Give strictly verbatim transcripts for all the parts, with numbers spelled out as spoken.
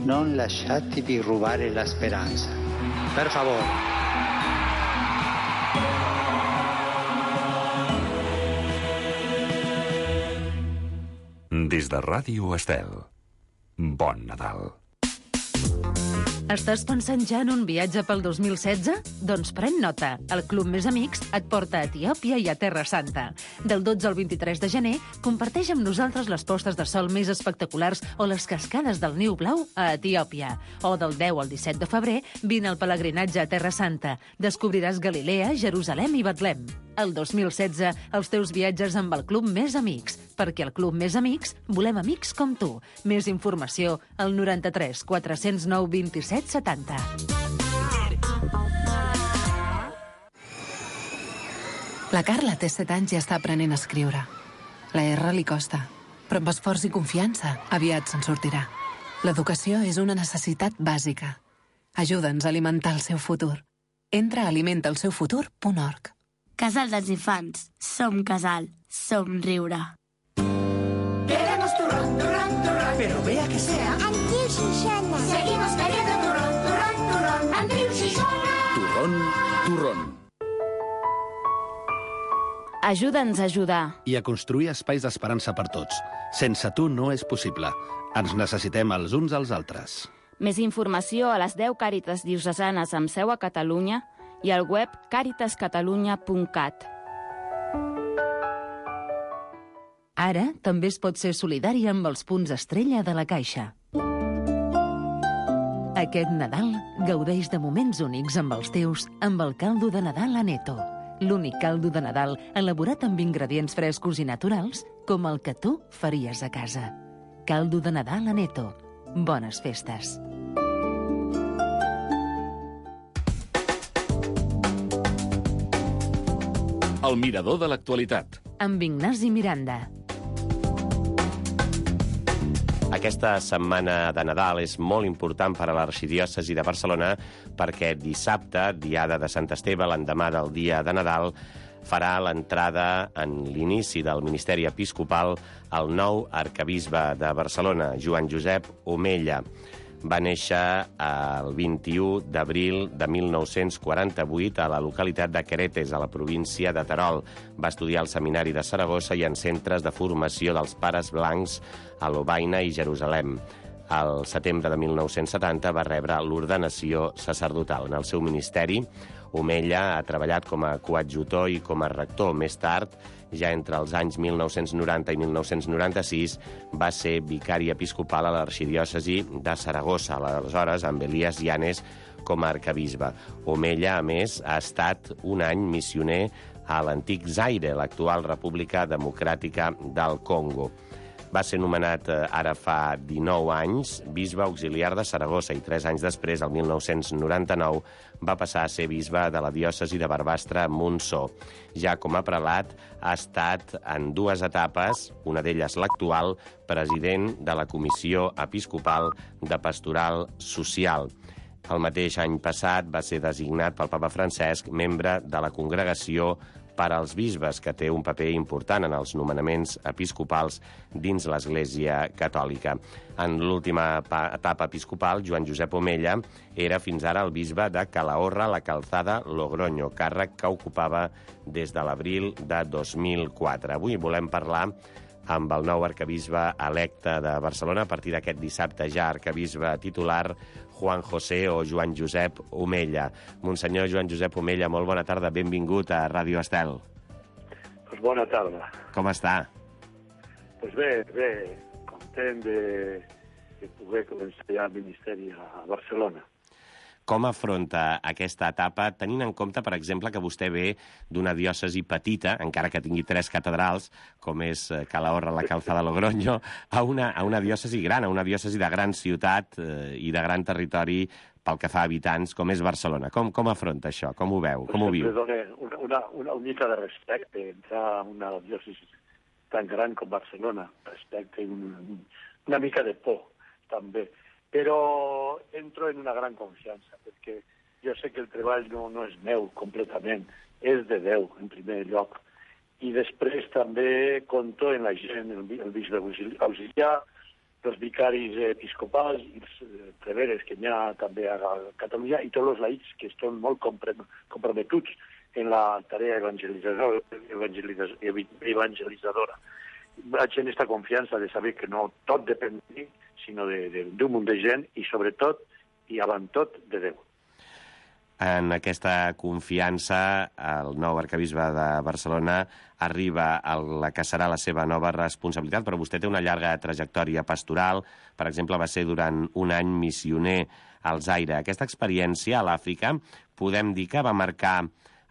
non lasciatevi rubare la speranza. Per favore. Des de Ràdio Estel, bon Nadal. Estàs pensant ja en un viatge pel dos mil setze? Doncs pren nota. El Club Més Amics et porta a Etiòpia i a Terra Santa. Del dotze al vint-i-tres de gener, comparteix amb nosaltres les postes de sol més espectaculars o les cascades del Niu Blau a Etiòpia. O del deu al disset de febrer, vine al pelegrinatge a Terra Santa. Descobriràs Galilea, Jerusalem i Betlem. El dos mil setze, els teus viatges amb el Club Més Amics. Perquè al Club Més Amics volem amics com tu. Més informació al noranta-tres quatre-cents nou vint-i-set setanta. La Carla té set anys i està aprenent a escriure. La R li costa, però amb esforç i confiança aviat se'n sortirà. L'educació és una necessitat bàsica. Ajuda'ns a alimentar el seu futur. Entra a alimenta el seu futur punt org. Casal dels Infants. Som casal. Som riure. Queremos turrón, turrón, turrón, pero vea que sea Andreu Xixona. Seguimos queriendo turrón, turrón, turrón, Andreu Xixona. Turrón, turrón. Ajuda'ns a ajudar. I a construir espais d'esperança per tots. Sense tu no és possible. Ens necessitem els uns als altres. Més informació a les deu Càritas diocesanes amb seu a Catalunya i al web càritas catalunya punt cat. Ara també es pot ser solidari amb els punts estrella de la Caixa. Aquest Nadal gaudeix de moments únics amb els teus amb el caldo de Nadal Aneto. L'únic caldo de Nadal elaborat amb ingredients frescos i naturals com el que tu faries a casa. Caldo de Nadal Aneto. Bones festes. El mirador de l'actualitat. Amb Ignasi Miranda. Aquesta setmana de Nadal és molt important per a l'arxidiòcesi de Barcelona perquè dissabte, diada de Sant Esteve, l'endemà del dia de Nadal, farà l'entrada en l'inici del ministeri episcopal el nou arquebisbe de Barcelona, Joan Josep Omella. Va néixer el vint-i-u d'abril de mil nou-cents quaranta-vuit a la localitat de Queretes, a la província de Terol. Va estudiar al Seminari de Saragossa i en centres de formació dels Pares Blancs a Lovaina i Jerusalem. Al setembre de mil nou-cents setanta va rebre l'ordenació sacerdotal. En el seu ministeri, Omella ha treballat com a coadjutor i com a rector. Més tard, ja entre els anys mil nou-cents noranta i mil nou-cents noranta-sis, va ser vicari episcopal a l'arxidiòcesi de Saragossa, aleshores amb Elias Llanes com a arquebisbe. Omella, a més, ha estat un any missioner a l'antic Zaire, l'actual República Democràtica del Congo. Va ser nomenat ara fa dinou anys bisbe auxiliar de Saragossa i tres anys després, el mil nou-cents noranta-nou, va passar a ser bisbe de la diòcesi de Barbastre-Montsó. Ja com a prelat ha estat en dues etapes, una d'elles l'actual, president de la Comissió Episcopal de Pastoral Social. El mateix any passat va ser designat pel papa Francesc membre de la Congregació per als bisbes, que té un paper important en els nomenaments episcopals dins l'Església Catòlica. En l'última etapa episcopal, Joan Josep Omella era fins ara el bisbe de Calahorra, la Calzada, Logroño, càrrec que ocupava des de l'abril de dos mil quatre. Avui volem parlar amb el nou arquebisbe electe de Barcelona, a partir d'aquest dissabte ja arquebisbe titular, Juan José o Joan Josep Omella. Monsenyor Joan Josep Omella, molt bona tarda, benvingut a Ràdio Estel. Pues bona tarda. Com està? Pues bé, bé, content de, de poder començar ja el ministeri a Barcelona. Com afronta aquesta etapa, tenint en compte, per exemple, que vostè ve d'una diòcesi petita, encara que tingui tres catedrals, com és Calahorra, la Calzada, Logroño, a una, a una diòcesi gran, a una diòcesi de gran ciutat eh, i de gran territori pel que fa a habitants, com és Barcelona. Com, com afronta això? Com ho veu? Com ho viu? Dona una, una, una mica de respecte entrar a una diòcesi tan gran com Barcelona. Respecte i un, una mica de por, també. Però entro en una gran confiança, perquè jo sé que el treball no, no és meu completament, és de Déu, en primer lloc. I després també compto en la gent, el, el bisbe auxiliar, els vicaris episcopals i els preveres que hi ha també a Catalunya i tots els laics que estan molt comprometuts en la tarea evangelitzadora. evangelitzadora. Vaig en aquesta confiança de saber que no tot depèn de mi, sinó d'un munt de gent i, sobretot, i avant tot, de Déu. En aquesta confiança, el nou arquebisbe de Barcelona arriba a la que serà la seva nova responsabilitat, però vostè té una llarga trajectòria pastoral. Per exemple, va ser durant un any missioner al Zaire. Aquesta experiència a l'Àfrica podem dir que va marcar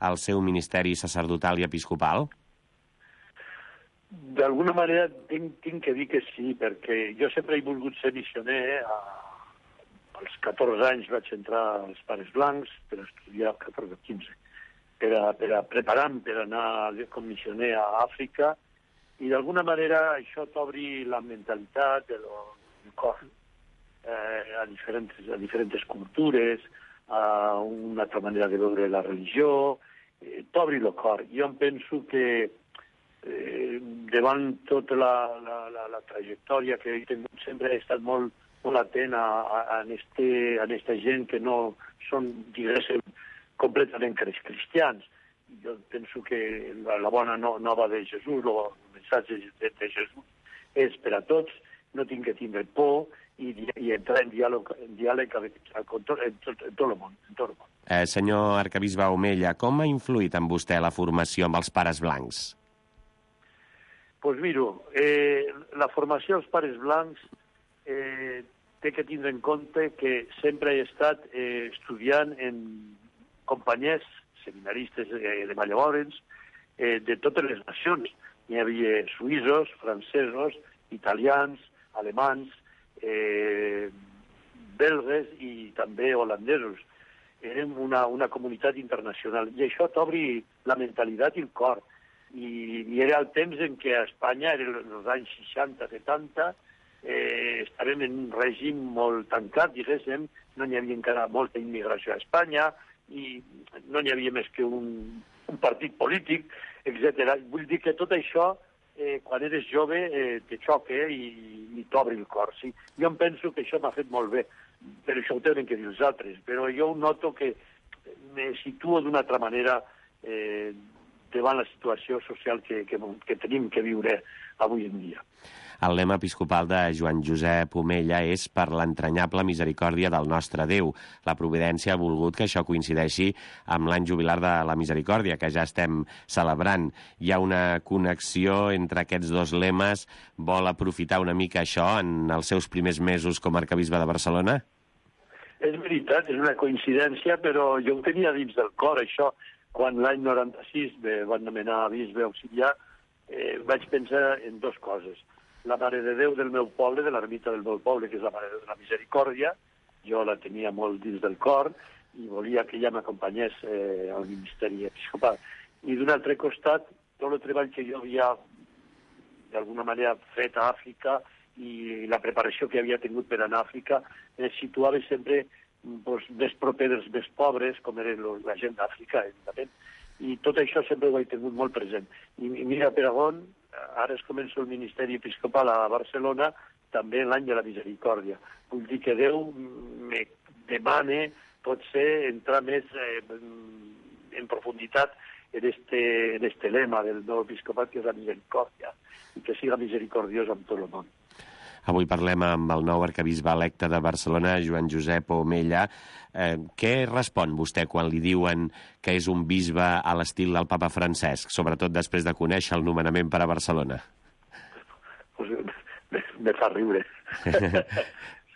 el seu ministeri sacerdotal i episcopal? D'alguna manera tinc, tinc que dir que sí, perquè jo sempre he volgut ser missioner. A, als catorze anys vaig entrar als Pares Blancs per estudiar, catorze o quinze, per a, per a preparar-me per anar com missioner a Àfrica, i d'alguna manera això t'obri la mentalitat, el, el cor, eh, a, diferents, a diferents cultures, a una altra manera de veure la religió, eh, t'obri el cor. Jo em penso que eh, davant tota la, la, la, la trajectòria que he tingut, sempre he estat molt, molt atent a, a, a, este, a esta gent que no són, diguéssim, completament cristians. Jo penso que la, la bona no, nova de Jesús, el missatge de, de Jesús és per a tots, no tinc que tindre por i, i entrar en diàleg, en diàleg amb, amb tot, en, tot, en tot el món. En tot el món. Eh, senyor arquebisbe Omella, com ha influït en vostè la formació amb els Pares Blancs? Doncs pues miro, eh, la formació als Pares Blancs eh, té que tindre en compte que sempre he estat eh, estudiant en companyies, seminaristes eh, de llavors, eh, de totes les nacions. Hi havia suïssos, francesos, italians, alemans, eh, belgues i també holandesos. Érem una, una comunitat internacional. I això t'obri la mentalitat i el cor. I, i era el temps en què a Espanya, en els anys seixanta setanta, eh, estàvem en un règim molt tancat, diguéssim, no n'hi havia encara molta immigració a Espanya, i no n'hi havia més que un, un partit polític, etcètera. Vull dir que tot això, eh, quan eres jove, eh, te xoca eh, i, i t'obre el cor. Sí? Jo em penso que això m'ha fet molt bé, però això ho tenen que dir els altres. Però jo noto que me situo d'una altra manera eh, davant la situació social que, que, que tenim que viure avui en dia. El lema episcopal de Joan Josep Omella és per l'entranyable misericòrdia del nostre Déu. La providència ha volgut que això coincideixi amb l'any jubilar de la misericòrdia, que ja estem celebrant. Hi ha una connexió entre aquests dos lemes? Vol aprofitar una mica això en els seus primers mesos com a arquebisbe de Barcelona? És veritat, és una coincidència, però jo ho tenia dins del cor, això. Quan l'any noranta-sis me van nomenar bisbe auxiliar, eh, vaig pensar en dues coses. La Mare de Déu del meu poble, de l'ermita del meu poble, que és la Mare de la Misericòrdia, jo la tenia molt dins del cor i volia que ella m'acompanyés eh, al ministeri episcopal. I d'un altre costat, tot el treball que jo havia d'alguna manera fet a Àfrica i la preparació que havia tingut per anar a Àfrica, es situava sempre pues, més proper dels més pobres, com era la gent d'Àfrica, evidentment. I tot això sempre ho he tingut molt present. I mira, per on, ara es comença el ministeri episcopal a Barcelona, també l'any de la misericòrdia. Vull dir que Déu me demana, potser, entrar més eh, en profunditat en este, en este lema del nou episcopat, que és la misericòrdia, i que siga misericordiós amb tot el món. Avui parlem amb el nou arquebisbe electe de Barcelona, Joan Josep Omella. Eh, què respon vostè quan li diuen que és un bisbe a l'estil del papa Francesc, sobretot després de conèixer el nomenament per a Barcelona? Pues, me, me fa riure.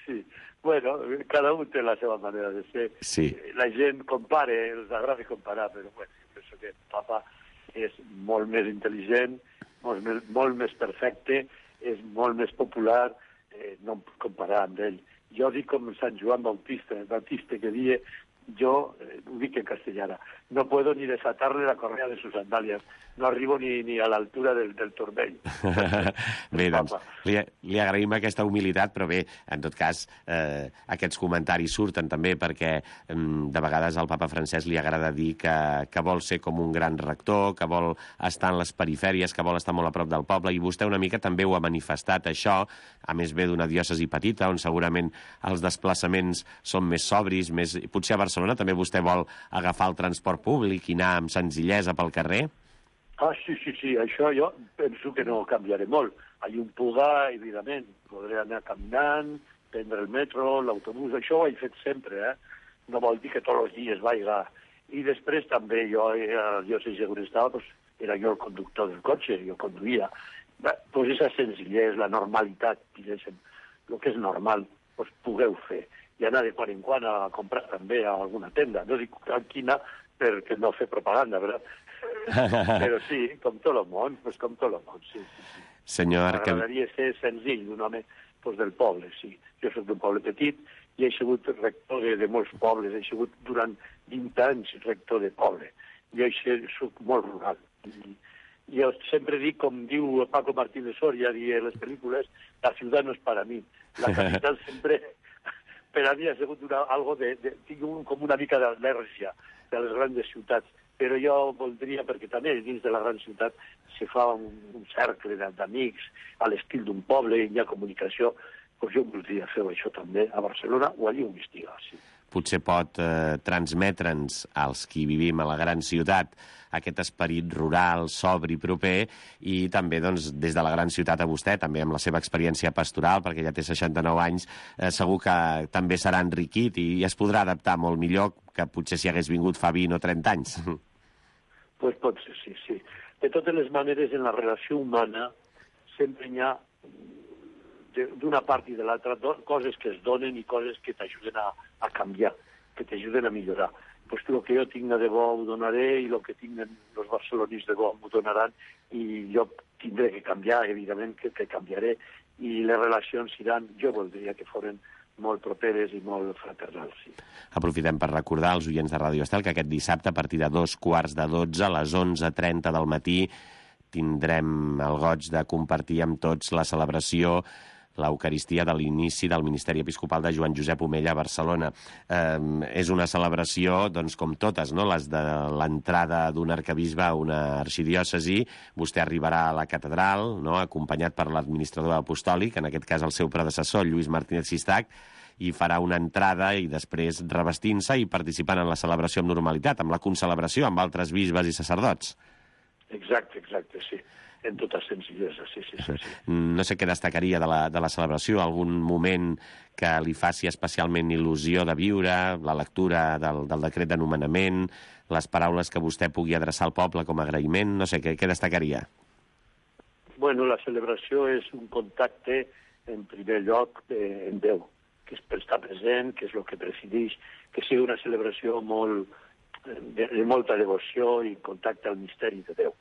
Sí. Bueno, cada un té la seva manera de ser. Sí. La gent compara, els agrada comparar, però bueno, penso que el papa és molt més intel·ligent, molt més, molt més perfecte, és molt més popular, eh, no em puc comparar amb ell. Jo dic com Sant Joan Bautista, Bautista que dia yo, eh, ho dic en castellana, no puedo ni desatarle la correa de sus sandalias. No arribo ni, ni a l'altura del, del turmell. Bé, doncs, li, li agraïm aquesta humilitat, però bé, en tot cas, eh, aquests comentaris surten també perquè eh, de vegades al papa Francesc li agrada dir que, que vol ser com un gran rector, que vol estar en les perifèries, que vol estar molt a prop del poble, i vostè una mica també ho ha manifestat, això, a més ve d'una diòcesi petita, on segurament els desplaçaments són més sobris, més... potser a Barcelona també vostè vol agafar el transport públic i anar amb senzillesa pel carrer? Ah, sí, sí, sí, això jo penso que no canviaré molt. A Llumpuga, evidentment, podré anar caminant, prendre el metro, l'autobús, això ho he fet sempre, eh? No vol dir que tots els dies vaiga. I després també jo, jo sé on estava, pues, era jo el conductor del cotxe, jo conduïa. Pues esa senzillesa, la normalitat, diguéssim, el que és normal, pues pugueu fer. I anar de quan en quan a comprar també a alguna tenda. No dic a quina, perquè no fer propaganda, ¿verdad? Però sí, com tot el món, pues com tot el món, sí. sí, sí. Senyor Arquebisbe... M'agradaria ser senzill, un home pues, del poble, sí. Jo soc d'un poble petit i he sigut rector de, de molts pobles, he sigut durant vint anys rector de poble. Jo soc molt rural. I, jo sempre dic, com diu Paco Martínez Soria, i en les pel·lícules, la ciutat no és per a mi. La capital sempre, per a mi ha sigut una, algo de, de, tinc un, com una mica d'al·lèrgia de les grans ciutats. Però jo voldria, perquè també dins de la gran ciutat se fa un, un cercle d'amics a l'estil d'un poble, hi ha comunicació, doncs jo voldria fer això també a Barcelona o allí on estigui. Sí. Potser pot eh, transmetre'ns als qui vivim a la gran ciutat aquest esperit rural, sobri, proper, i també doncs, des de la gran ciutat a vostè, també amb la seva experiència pastoral, perquè ja té seixanta-nou anys, eh, segur que també serà enriquit i es podrà adaptar molt millor que potser si hagués vingut fa vint o trenta anys. Pues pot ser, sí, sí. De totes les maneres, en la relació humana sempre hi ha d'una part i de l'altra coses que es donen i coses que t'ajuden a, a canviar, que t'ajuden a millorar. Pues el que jo tinc de bo ho donaré i el que tinguin els barcelonins de bo m'ho donaran i jo tindré que canviar, evidentment que, que canviaré, i les relacions seran, jo voldria que foren molt properes i molt fraternals. Sí. Aprofitem per recordar als oients de Ràdio Estel que aquest dissabte, a partir de dos quarts de dotze, a les onze trenta del matí, tindrem el goig de compartir amb tots la celebració, l'Eucaristia de l'inici del Ministeri Episcopal de Joan Josep Omella a Barcelona. Eh, és una celebració, doncs, com totes, no? Les de l'entrada d'un arquebisbe a una arxidiòcesi. Vostè arribarà a la catedral, no? Acompanyat per l'administrador apostòlic, en aquest cas el seu predecessor, Lluís Martínez Sistac, i farà una entrada i després revestint-se i participant en la celebració amb normalitat, amb la concelebració amb altres bisbes i sacerdots. Exacte, exacte, sí. En tota senzillesa, sí, sí, sí, sí. No sé què destacaria de la, de la celebració, algun moment que li faci especialment il·lusió de viure, la lectura del, del decret de nomenament, les paraules que vostè pugui adreçar al poble com a agraïment, no sé, què, què destacaria? Bueno, la celebració és un contacte, en primer lloc, eh, en Déu, que és per estar present, que és el que presideix, que sigui una celebració molt, de, de molta devoció i contacte al misteri de Déu,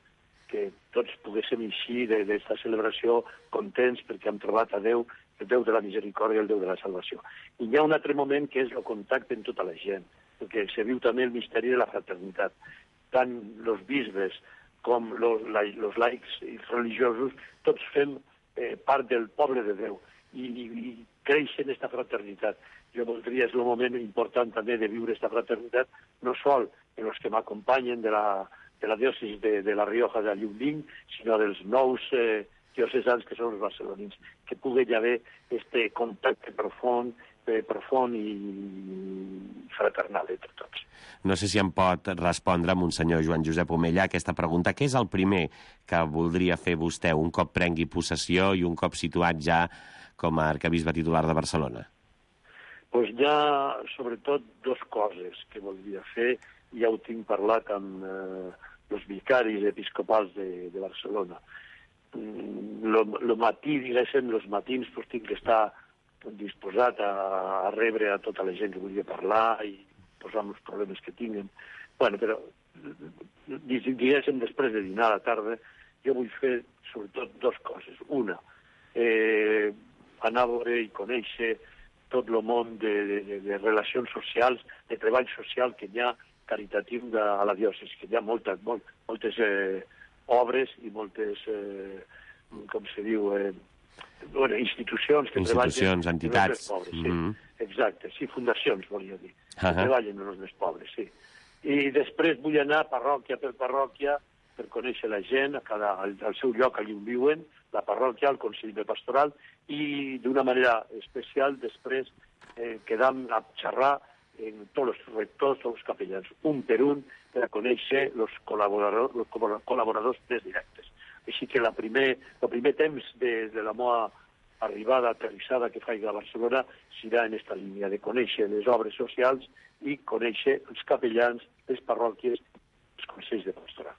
que tots poguéssim eixir d'aquesta celebració contents perquè hem trobat a Déu, el Déu de la misericòrdia i el Déu de la salvació. I hi ha un altre moment que és el contacte amb tota la gent, perquè se viu també el misteri de la fraternitat. Tant els bisbes com els laics i religiosos, tots fem eh, part del poble de Déu i, i, i creix en aquesta fraternitat. Jo voldria, és el moment important també de viure aquesta fraternitat, no sol en els que m'acompanyen de la de la diòcesi de, de la Rioja de Llumling, sinó dels nous eh, diocesans que són els barcelonins, que pugui haver este contacte profund, eh, profund i fraternal entre tots. No sé si em pot respondre, Monsenyor Joan Josep Omella, aquesta pregunta. Què és el primer que voldria fer vostè un cop prengui possessió i un cop situat ja com a arquebisbe titular de Barcelona? Doncs hi ha, sobretot, dues coses que voldria fer. Ja ho tinc parlat amb eh, els vicaris episcopals de, de Barcelona. El matí, diguéssim, els matins, doncs tinc que estar disposat a, a rebre a tota la gent que volia parlar i posar els problemes que tinguen. Bueno, però, diguéssim, després de dinar a la tarda, jo vull fer, sobretot, dues coses. Una, eh, anar a veure i conèixer tot el món de, de, de relacions socials, de treball social que hi ha caritatiu de, a la diòcesi, que hi ha moltes, molt, moltes eh, obres i moltes, eh, com se diu, eh, bueno, institucions que institucions, treballen entitats. amb els més pobres. Sí. Mm-hmm. Exacte, sí, fundacions, volia dir, que uh-huh. treballen amb els més pobres, sí. I després vull anar parròquia per parròquia per conèixer la gent, a cada, al, al seu lloc allà on viuen, la parròquia, el Consell de Pastoral, i d'una manera especial després eh, quedam a xerrar en tots els rectors, tots els capellans, un per un, per a conèixer els col·laboradors, los col·laboradors més directes. Així que la primer, el primer temps de, de la meva arribada, aterrissada que faig a Barcelona serà en aquesta línia de conèixer les obres socials i conèixer els capellans, les parròquies, els consells de pastoral.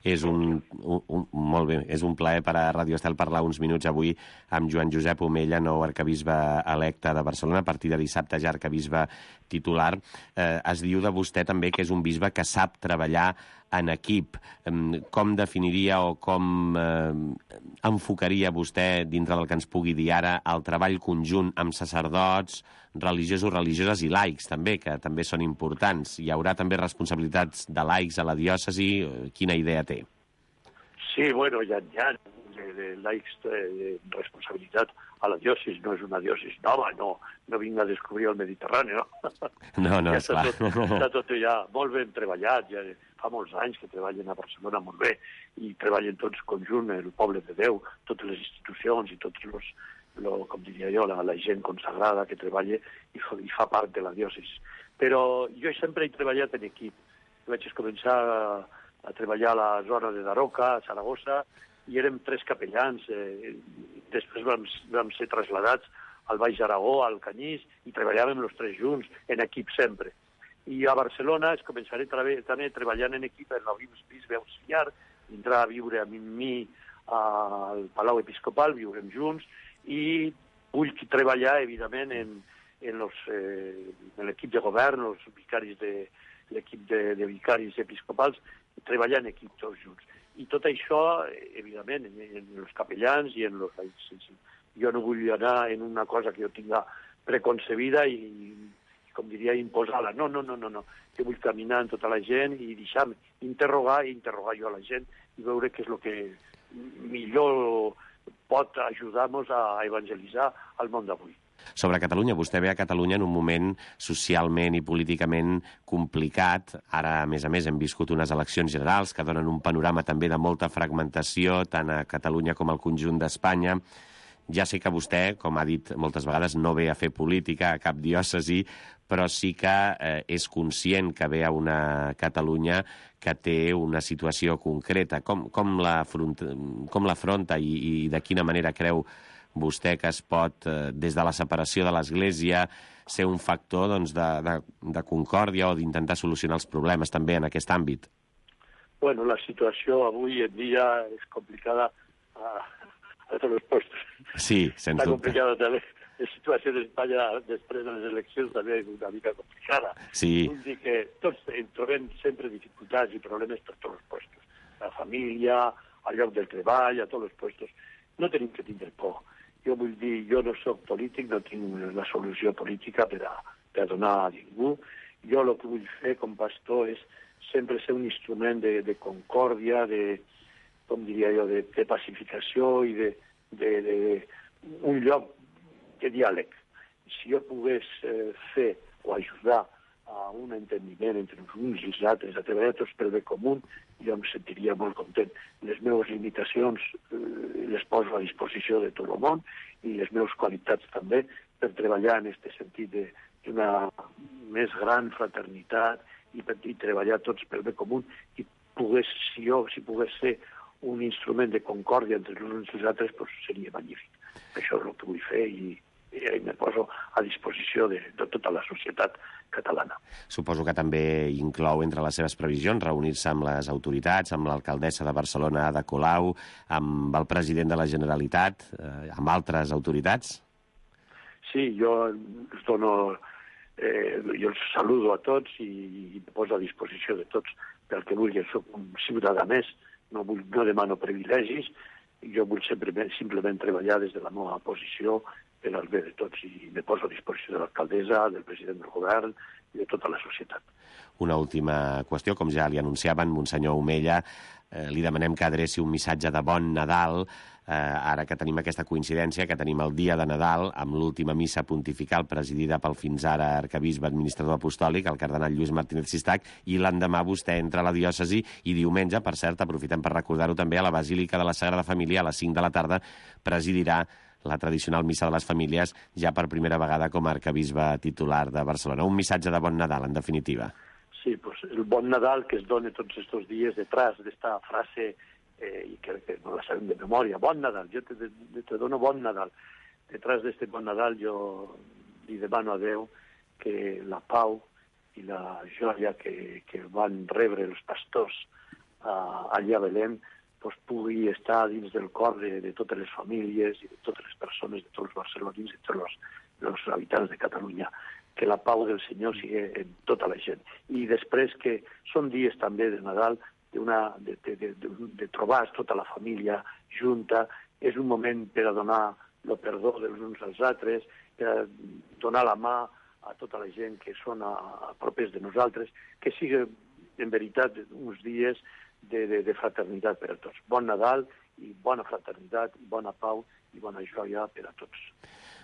És un, un, un, molt bé, és un plaer per a Radio Estel parlar uns minuts avui amb Joan Josep Omella, nou arcabisbe electe de Barcelona, a partir de dissabte ja arcabisbe titular. Eh, es diu de vostè també que és un bisbe que sap treballar en equip. Com definiria o com eh, enfocaria vostè, dintre del que ens pugui dir ara, el treball conjunt amb sacerdots, religiosos, religioses i laics, també, que també són importants? Hi haurà també responsabilitats de laics a la diòcesi? Quina idea té? Sí, bueno, hi ha, hi ha de, de laics de, de responsabilitat a la diòcesi. No és una diòcesi nova, no, no vinc a descobrir el Mediterrani, no? No, no, ja esclar. Està tot, està tot ja molt ben treballat, ja fa molts anys que treballen a Barcelona molt bé, i treballen tots conjunt, el poble de Déu, totes les institucions i tots els, lo, com diria jo, la, la gent consagrada que treballa i fa, i fa part de la diòcesi. Però jo sempre he treballat en equip. Vaig començar a, a treballar a la zona de Daroca, a Saragossa, i érem tres capellans. Eh, després vam, vam ser traslladats al Baix Aragó, al Canyís, i treballàvem els tres junts, en equip sempre. I a Barcelona es començaré també treballant en equip en el bisbe auxiliar, vindrà a viure amb mi al Palau Episcopal, viurem junts, i vull treballar, evidentment, en, en, los, eh, en l'equip de govern, els vicaris de l'equip de, de vicaris episcopals, treballar en equip tots junts. I tot això, evidentment, en, en els capellans i en els laics. Jo no vull anar en una cosa que jo tinga preconcebida i, com diria, imposar-la. No, no, no, no, no. Jo vull caminar amb tota la gent i deixar-me interrogar i interrogar jo a la gent i veure què és el que millor pot ajudar-nos a evangelitzar el món d'avui. Sobre Catalunya, vostè ve a Catalunya en un moment socialment i políticament complicat. Ara, a més a més, hem viscut unes eleccions generals que donen un panorama també de molta fragmentació, tant a Catalunya com al conjunt d'Espanya. Ja sé que vostè, com ha dit moltes vegades, no ve a fer política a cap diòcesi, però sí que eh, és conscient que ve a una Catalunya que té una situació concreta. Com, com l'afronta i, i de quina manera creu vostè que es pot, eh, des de la separació de l'Església, ser un factor doncs, de, de, de concòrdia o d'intentar solucionar els problemes també en aquest àmbit? Bueno, la situació avui en dia és complicada a, a tots els postos. Sí, sens Està dubte. complicada també. La situació d'Espanya després de les eleccions també és una mica complicada. Sí. Vull dir que tots trobem sempre dificultats i problemes per tots els postos. La família, al lloc del treball, a tots els postos. No tenim que tindre por. Jo vull dir, jo no soc polític, no tinc la solució política per a, per a donar a ningú. Jo el que vull fer com pastor és sempre ser un instrument de, de concòrdia, de, com diria jo, de, de pacificació i de, de, de un lloc de diàleg. Si jo pogués eh, fer o ajudar a un entendiment entre uns i els altres, a treballar tots pel bé comú, jo em sentiria molt content. Les meves limitacions eh, les poso a disposició de tot el món i les meves qualitats també per treballar en aquest sentit d'una més gran fraternitat i per i treballar tots pel bé comú i pogués, si jo si pogués ser un instrument de concòrdia entre els uns i els altres, doncs seria magnífic. Això és el que vull fer i i me poso a disposició de, de tota la societat catalana. Suposo que també inclou entre les seves previsions reunir-se amb les autoritats, amb l'alcaldessa de Barcelona, Ada Colau, amb el president de la Generalitat, eh, amb altres autoritats? Sí, jo els dono, eh, jo els saludo a tots i, i me poso a disposició de tots pel que vulgui. Soc un ciutadà més, no, vull, no demano privilegis, jo vull sempre, simplement treballar des de la meva posició per al bé de tots. I me poso a disposició de l'alcaldessa, del president del govern i de tota la societat. Una última qüestió, com ja li anunciaven, Monsenyor Omella, eh, li demanem que adreci un missatge de bon Nadal, eh, ara que tenim aquesta coincidència, que tenim el dia de Nadal, amb l'última missa pontifical presidida pel fins ara arquebisbe administrador apostòlic, el cardenal Lluís Martínez Sistac, i l'endemà vostè entra a la diòcesi i diumenge, per cert, aprofitem per recordar-ho també, a la Basílica de la Sagrada Família, a les cinc de la tarda, presidirà la tradicional missa de les famílies, ja per primera vegada com a arquebisbe titular de Barcelona. Un missatge de bon Nadal, en definitiva. Sí, pues el bon Nadal que es dona tots estos dies detrás d'esta frase, eh, i que, que no la sabem de memòria, bon Nadal, jo te, te, te dono bon Nadal. Detrás d'este bon Nadal jo li demano a Déu que la pau i la joia que, que van rebre els pastors uh, allà a Belém pues, pugui estar dins del cor de, de totes les famílies i de totes les persones, de tots els barcelonins i de tots els, els habitants de Catalunya. Que la pau del Senyor sigui en tota la gent. I després que són dies també de Nadal, una, de, de, de, de, de trobar tota la família junta, és un moment per a donar el perdó dels uns als altres, per a donar la mà a tota la gent que són a, a propers de nosaltres, que sigui en veritat uns dies de, de, de fraternitat per a tots. Bon Nadal i bona fraternitat, bona pau i bona joia per a tots.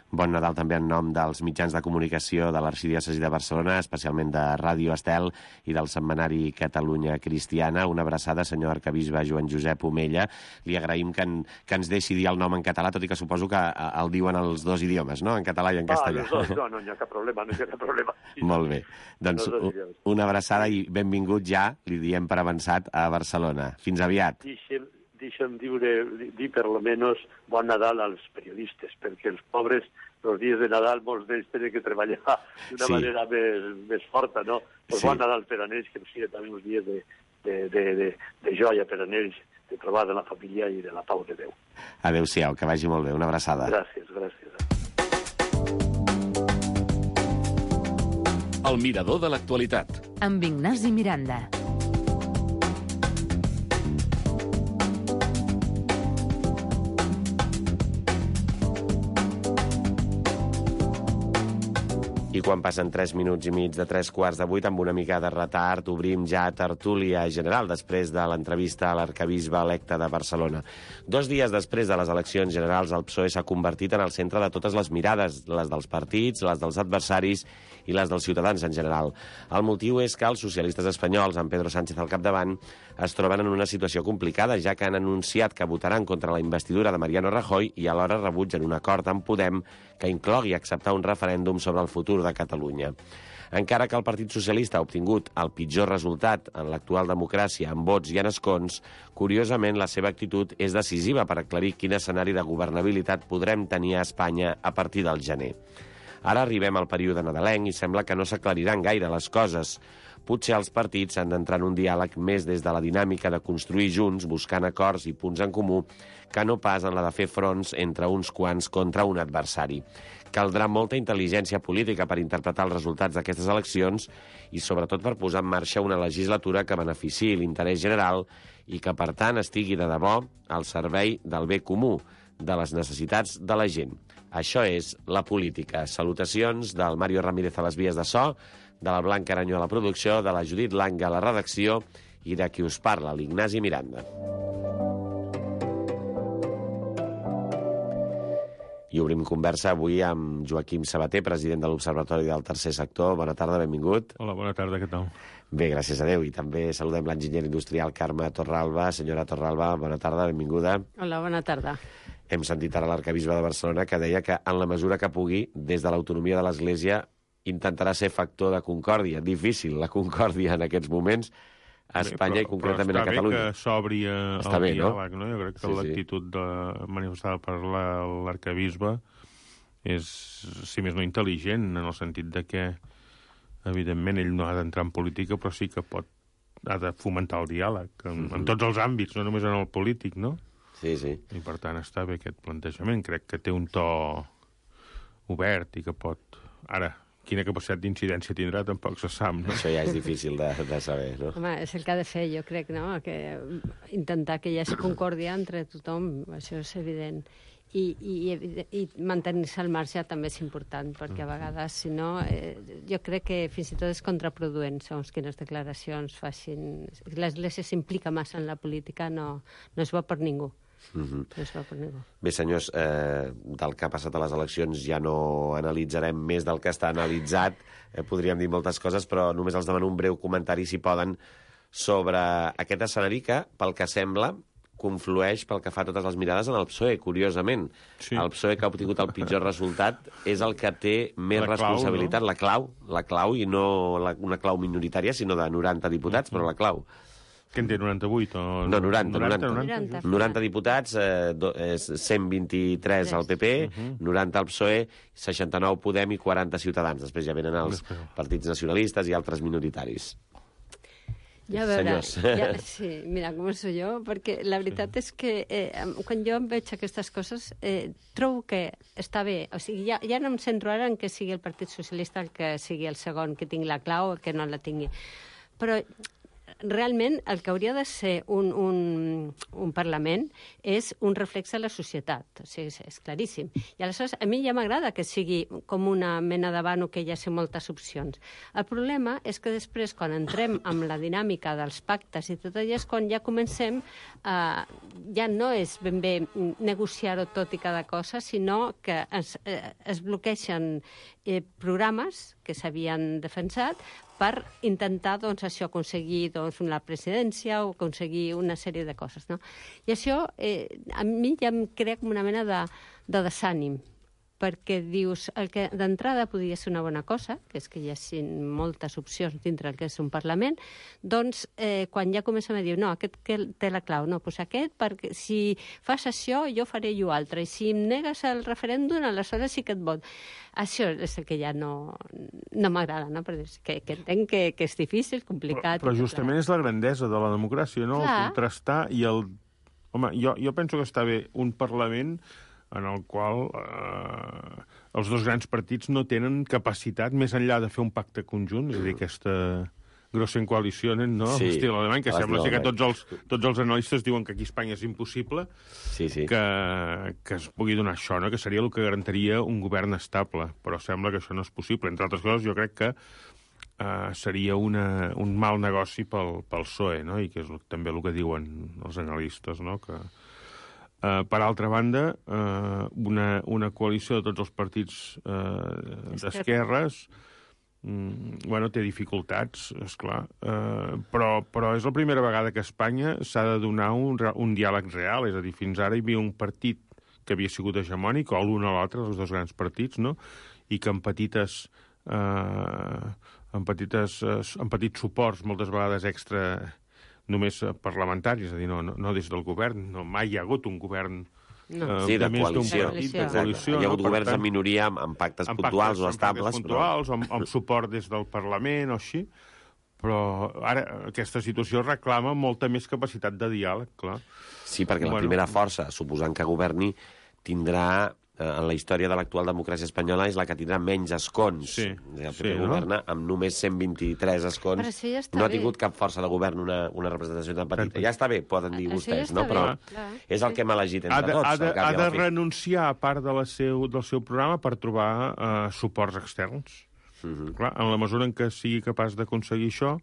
Bon Nadal també en nom dels mitjans de comunicació de l'Arxidiòcesi de Barcelona, especialment de Ràdio Estel i del setmanari Catalunya Cristiana. Una abraçada, senyor arquebisbe Joan Josep Omella. Li agraïm que, en, que ens deixi dir el nom en català, tot i que suposo que el diuen els dos idiomes, no?, en català i en castellà. Ah, els dos, no, no hi ha cap problema, no hi ha cap problema. Sí, molt bé. Doncs una abraçada i benvingut ja, li diem per avançat, a Barcelona. Fins aviat. Deixa'm, deixa'm dir, dir per lo menos bon Nadal als periodistes, perquè els pobres, els dies de Nadal, molts d'ells tenen que treballar d'una sí. manera més, més forta, no? Pues sí. Bon Nadal per a ells, que siguin també uns dies de, de, de, de, de joia per a ells, de trobar de la família i de la pau de Déu. Adéu-siau, que vagi molt bé. Una abraçada. Gràcies, gràcies. El mirador de l'actualitat. Amb Ignasi Miranda. I quan passen tres minuts i mig de tres quarts de vuit, amb una mica de retard, obrim ja tertúlia general després de l'entrevista a l'arquebisbe electe de Barcelona. Dos dies després de les eleccions generals, el P S O E s'ha convertit en el centre de totes les mirades, les dels partits, les dels adversaris i les dels ciutadans en general. El motiu és que els socialistes espanyols, amb Pedro Sánchez al capdavant, es troben en una situació complicada, ja que han anunciat que votaran contra la investidura de Mariano Rajoy i alhora rebutgen un acord amb Podem que inclogui acceptar un referèndum sobre el futur de Catalunya. Encara que el Partit Socialista ha obtingut el pitjor resultat en l'actual democràcia en vots i en escons, curiosament la seva actitud és decisiva per aclarir quin escenari de governabilitat podrem tenir a Espanya a partir del gener. Ara arribem al període nadalenc i sembla que no s'aclariran gaire les coses. Potser els partits han d'entrar en un diàleg més des de la dinàmica de construir junts, buscant acords i punts en comú, que no pas en la de fer fronts entre uns quants contra un adversari. Caldrà molta intel·ligència política per interpretar els resultats d'aquestes eleccions i sobretot per posar en marxa una legislatura que beneficiï l'interès general i que, per tant, estigui de debò al servei del bé comú, de les necessitats de la gent. Això és la política. Salutacions del Mario Ramírez a les vies de so, de la Blanca Aranyó a la producció, de la Judit Langa a la redacció i de qui us parla, l'Ignasi Miranda. I obrim conversa avui amb Joaquim Sabater, president de l'Observatori del Tercer Sector. Bona tarda, benvingut. Hola, bona tarda, què tal? Bé, gràcies a Déu. I també saludem l'enginyer industrial Carme Torralba. Senyora Torralba, bona tarda, benvinguda. Hola, bona tarda. Hem sentit ara l'arquebisbe de Barcelona que deia que en la mesura que pugui, des de l'autonomia de l'Església, intentarà ser factor de concòrdia. Difícil, la concòrdia en aquests moments a Espanya. Bé, però, i concretament a Catalunya. Està bé que s'obri el bé, diàleg, no? no? Jo crec que sí, l'actitud de, manifestada per l'arquebisbe és, si més no, intel·ligent, en el sentit de que, evidentment, ell no ha d'entrar en política, però sí que pot, ha de fomentar el diàleg, en, mm-hmm. en tots els àmbits, no només en el polític, no? Sí, sí. I, per tant, està bé aquest plantejament. Crec que té un to obert i que pot... Ara, quina capacitat d'incidència tindrà tampoc se sap, no? Això ja és difícil de, de saber, no? Home, és el que ha de fer, jo crec, no? Que intentar que hi hagi concòrdia entre tothom, això és evident. I, i, i mantenir-se al marge també és important, perquè a vegades, si no, eh, jo crec que fins i tot és contraproduent, segons quines declaracions facin. L'Església s'implica massa en la política, no, no és bo per ningú. Mm-hmm. No és bo per ningú. Bé, senyors, eh, del que ha passat a les eleccions ja no analitzarem més del que està analitzat. Eh, podríem dir moltes coses, però només els demano un breu comentari, si poden, sobre aquest escenari que, pel que sembla, conflueix pel que fa a totes les mirades en el P S O E, curiosament. Sí. El P S O E, que ha obtingut el pitjor resultat, és el que té més la responsabilitat, clau, no? la clau, la clau, i no la, una clau minoritària, sinó de noranta diputats, mm-hmm. però la clau. Què en té, noranta-vuit? O... No, noranta, noranta. noranta. noranta. noranta diputats, eh, do, és cent vint-i-tres al P P, uh-huh. noranta al P S O E, seixanta-nou Podem i quaranta Ciutadans. Després ja venen els partits nacionalistes i altres minoritaris. Ja a veure, ja, sí, mira, començo jo, perquè la veritat és que eh, quan jo em veig aquestes coses, eh, trobo que està bé. O sigui, ja, ja no em centro ara en que sigui el Partit Socialista el que sigui el segon que tingui la clau o que no la tingui. Però realment el que hauria de ser un, un, un Parlament és un reflex de la societat. O sigui, és, és claríssim. I aleshores a mi ja m'agrada que sigui com una mena de vano que hi hagi moltes opcions. El problema és que després, quan entrem amb la dinàmica dels pactes i tot allò, és quan ja comencem, eh, ja no és ben bé negociar-ho tot i cada cosa, sinó que es, eh, es bloqueixen eh, programes que s'havien defensat per intentar, doncs, això, aconseguir doncs, una presidència o aconseguir una sèrie de coses, no? I això eh, a mi ja em crea com una mena de, de desànim, perquè dius, el que d'entrada podria ser una bona cosa, que és que hi hagi moltes opcions dintre el que és un Parlament, doncs eh, quan ja comencem a dir, no, aquest que té la clau, no, doncs aquest, perquè si fas això, jo faré jo altre, i si em negues el referèndum, aleshores sí que et vot. Això és el que ja no, no m'agrada, no? Perquè que, que entenc que, que és difícil, complicat... Però, però justament és la grandesa de la democràcia, no? Clar. El contrastar i el... Home, jo, jo penso que està bé un Parlament en el qual eh, els dos grans partits no tenen capacitat, més enllà de fer un pacte conjunt, és a dir, aquesta grossa coalició, no? Sí, l'estil alemany, que sembla ser que tots els, els, tots els analistes diuen que aquí a Espanya és impossible sí, sí. Que, que es pugui donar això, no? Que seria el que garantiria un govern estable, però sembla que això no és possible. Entre altres coses, jo crec que eh, seria una, un mal negoci pel, pel P S O E, no? I que és també el que diuen els analistes, no? Que... Uh, per altra banda, uh, una, una coalició de tots els partits uh, d'esquerres mm, bueno, té dificultats, esclar, uh, però, però és la primera vegada que a Espanya s'ha de donar un, un diàleg real, és a dir, fins ara hi havia un partit que havia sigut hegemònic, o l'un o l'altre, els dos grans partits, no? I que en petites... Uh, en, petites, uh, en petits suports, moltes vegades extra... només parlamentaris, és a dir, no, no, no des del govern, no, mai hi ha hagut un govern no. eh, sí, de, de coalició. Partit, de coalició. Hi ha hagut no? governs tant, en minoria amb, amb pactes amb puntuals pactes, o estables. Amb puntuals, però... amb, amb suport des del Parlament o així, però ara aquesta situació reclama molta més capacitat de diàleg, clar. Sí, perquè bueno, la primera força, suposant que governi, tindrà... en la història de l'actual democràcia espanyola és la que tindrà menys escons. Sí, el P P sí, governa no? amb només cent vint-i-tres escons. Però això ja està no ha bé. tingut cap força de govern una, una representació tan petita. Ja està bé, poden dir això vostès, ja no? Bé, Però clar. és el que hem elegit entre ha de, tots. Ha de, ha de renunciar a part de la seu, del seu programa per trobar uh, suports externs. Uh-huh. Clar, en la mesura en què sigui capaç d'aconseguir això,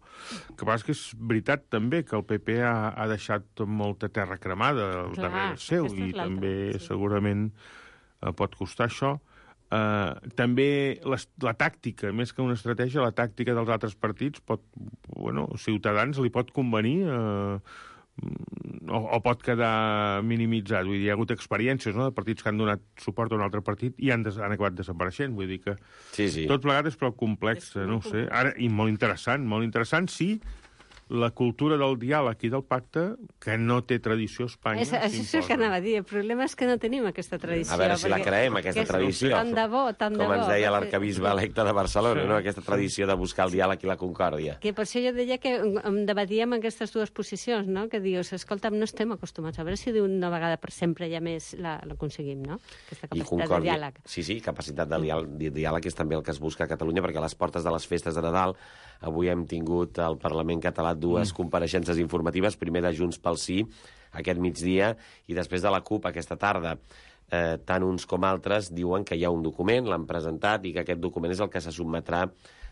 que pas que és veritat també que el P P ha, ha deixat molta terra cremada al Clar, darrere seu i també sí. segurament eh, pot costar això. Eh, també la, la tàctica, més que una estratègia, la tàctica dels altres partits pot, bueno, Ciutadans li pot convenir eh, o, o pot quedar minimitzat. Vull dir, hi ha hagut experiències, no?, de partits que han donat suport a un altre partit i han, des, han acabat desapareixent. Vull dir que sí, sí. tot plegat és prou complex, no ho sé. Ara, i molt interessant, molt interessant, sí, la cultura del diàleg i del pacte, que no té tradició a Espanya. És, això és el que anava a dir. El problema és que no tenim aquesta tradició. A veure si la creem, aquesta tradició. Tant de bo, tant de bo. Com ens deia l'arcabisbe electe de Barcelona, sí. no? Aquesta tradició de buscar el diàleg i la concòrdia. Que per això jo deia que em debatíem aquestes dues posicions, no? Que dius, escolta, no estem acostumats. A veure si d'una vegada per sempre ja més l'aconseguim, no? Aquesta capacitat de diàleg. Sí, sí, capacitat de diàleg, de diàleg és també el que es busca a Catalunya, perquè a les portes de les festes de Nadal avui hem tingut al Parlament català dues mm. compareixences informatives, primer de Junts pel Sí, aquest migdia, i després de la CUP aquesta tarda. eh, tant uns com altres diuen que hi ha un document, l'han presentat, i que aquest document és el que se sotmetrà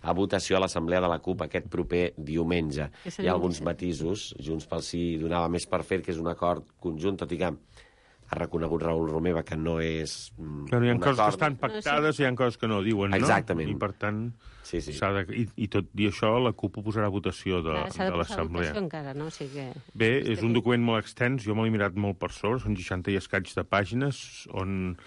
a votació a l'Assemblea de la CUP aquest proper diumenge. Hi ha alguns matisos. Junts pel Sí donava més per fer, que és un acord conjunt, tot i que ha reconegut Raül Romeva que no és mm, Però hi ha un coses acord. que estan pactades i hi ha coses que no diuen, no? Exactament. I, per tant, sí, sí. s'ha de... I, i tot i això, la CUP ho posarà a votació de, Clar, s'ha de de posar a l'Assemblea. votació encara, no? O sigui que... Bé, és un document molt extens, jo me l'he mirat molt per sobre, són seixanta i escaig de pàgines, on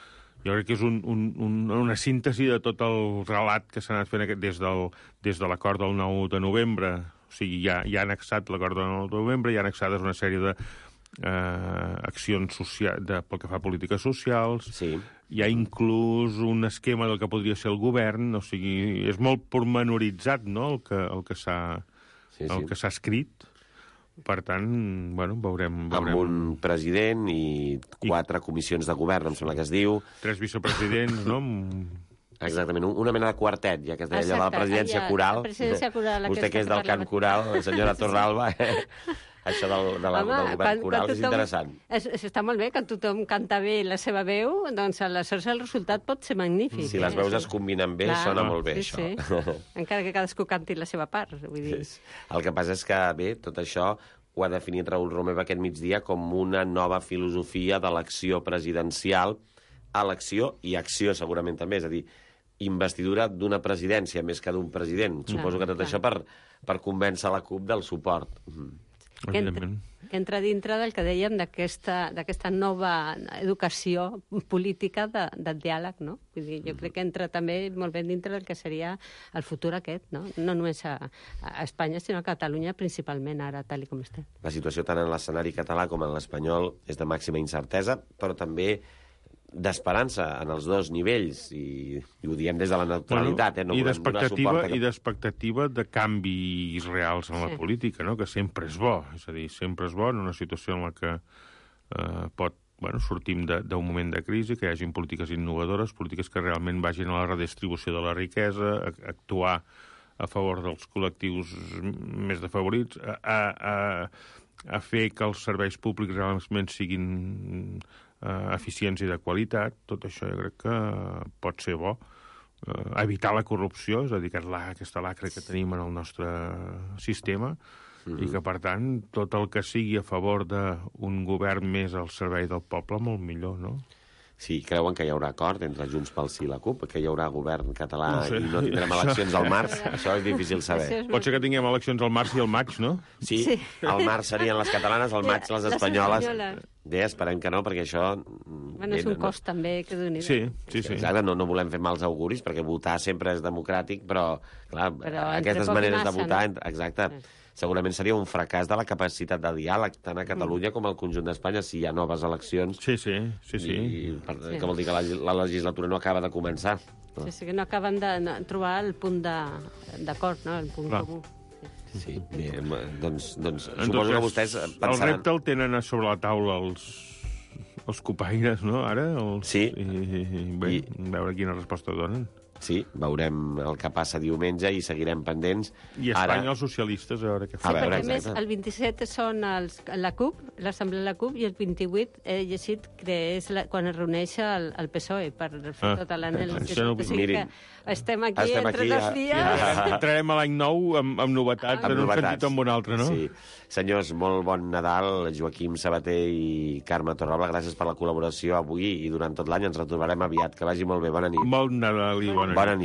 jo crec que és un, un, un, una síntesi de tot el relat que s'ha anat fent aquest, des, del, des de l'acord del nou de novembre. O sigui, ja, ja ha annexat l'acord del nou de novembre, ja ha annexades una sèrie de eh, accions social, de, pel que fa a polítiques socials. Sí. Hi ha inclús un esquema del que podria ser el govern, o sigui, és molt pormenoritzat, no?, el que, el que s'ha sí, sí. el que s'ha escrit. Per tant, bueno, veurem... veurem. Amb un president i quatre I... comissions de govern, em sembla que es diu. Tres vicepresidents, no? Exactament, una mena de quartet, ja que es deia allò de la presidència ja, coral. La presidència coral Vostè que és del cant coral, la senyora Torralba, eh? Això del, de la, Home, del govern quan, coral quan és tothom, interessant. És, és, està molt bé, quan tothom canta bé la seva veu, doncs aleshores el resultat pot ser magnífic. Si les veus eh? es combinen bé, Clar, sona molt bé, sí, això. Sí. Encara que cadascú canti la seva part, vull dir. El que passa és que, bé, tot això ho ha definit Raül Romeva aquest migdia com una nova filosofia de l'acció presidencial, elecció i acció, segurament també, és a dir, investidura d'una presidència més que d'un president. Clar, Suposo que tot clar. això per, per convèncer la CUP del suport. Que entra, que entra dintre del que dèiem d'aquesta nova educació política de, del diàleg, no? Vull dir, jo crec que entra també molt ben dintre del que seria el futur aquest, no? No només a, a Espanya, sinó a Catalunya principalment ara, tal com està. La situació tant en l'escenari català com en l'espanyol és de màxima incertesa, però també d'esperança en els dos nivells, i, i ho diem des de la neutralitat, bueno, eh? No i d'expectativa que... i d'expectativa de canvis reals en la Sí. política, no?, que sempre és bo, és a dir, sempre és bo en una situació en la que eh, pot, bueno, sortim d'un moment de crisi, que hi hagin polítiques innovadores, polítiques que realment vagin a la redistribució de la riquesa, a, a actuar a favor dels col·lectius més defavorits, a, a, a, a fer que els serveis públics realment siguin Uh, eficients i de qualitat. Tot això jo crec que pot ser bo. Uh, evitar la corrupció, és a dir, que la, aquesta lacra que tenim en el nostre sistema, mm-hmm. i que, per tant, tot el que sigui a favor d'un govern més al servei del poble, molt millor, no? Sí, creuen que hi haurà acord entre Junts pel Sí i la CUP, que hi haurà govern català no sé. i no tindrem eleccions al març? Això és difícil saber. Pot ser que tinguem eleccions al març i al maig, no? Sí, sí. Al març serien les catalanes, al maig les espanyoles. Bé, esperem que no, perquè això... Bueno, és un cost, no... també, que d'un Sí, sí, sí. Exacte, no, no volem fer mals auguris, perquè votar sempre és democràtic, però, clar, però aquestes maneres massa, de votar... No? Exacte. Sí. Segurament seria un fracàs de la capacitat de diàleg, tant a Catalunya mm. com al conjunt d'Espanya, si hi ha noves eleccions. Sí, sí, sí. sí. I, per, sí. Que vol dir que la, la legislatura no acaba de començar. No? Sí, sí, que no acaben de no, trobar el punt d'acord, no? El punt comú. Sí, sí. Bé, doncs, doncs en suposo cas, que vostès pensaran... El repte el tenen a sobre la taula els, els copaires, no?, ara? Els, sí. I, i, i bé, I... veure quina resposta donen. Sí, veurem el que passa diumenge i seguirem pendents. I a Espanya Ara... els socialistes, a veure què fa. Sí, perquè a més el vint-i-set són els, la CUP, l'Assemblea de la CUP, i el vint-i-vuit he llegit que és la, quan es reuneix el, el P S O E per fer ah, tota l'anàlisi. No, o sigui que estem aquí estem entre aquí, dos dies. Ja, entrarem a l'any nou amb, amb novetats, amb en un novetats. sentit o en un altre, no? Sí. Senyors, molt bon Nadal. Joaquim Sabater i Carme Torralba, gràcies per la col·laboració avui i durant tot l'any. Ens retrobarem aviat. Que vagi molt bé. Bona nit. Bon Nadal i bona nit. Bona nit.